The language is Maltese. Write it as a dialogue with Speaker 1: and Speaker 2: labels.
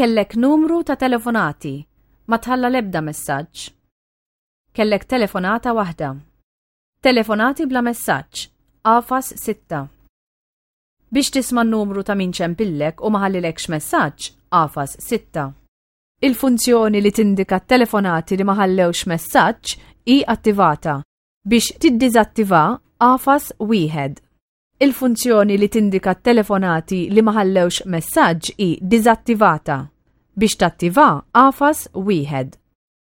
Speaker 1: Kellek numru ta' telefonati, ma tħalla l-ebda messaġġ. Kellek telefonata waħda. Telefonati bla messaġġ, agħfas 6. Biex tisma' n-numru ta' min ċempillek u ma ħallilekx messaġġ, agħfas 6. Il-funzjoni li tindika t-telefonati li ma ħallewx messaġġ hi attivata. Biex tiddiżattiva, agħfas 1. Il-funzjoni li tindika t-telefonati li ma ħallewx messaġġ hi diżattivata. Biex tattiva, agħfas 1.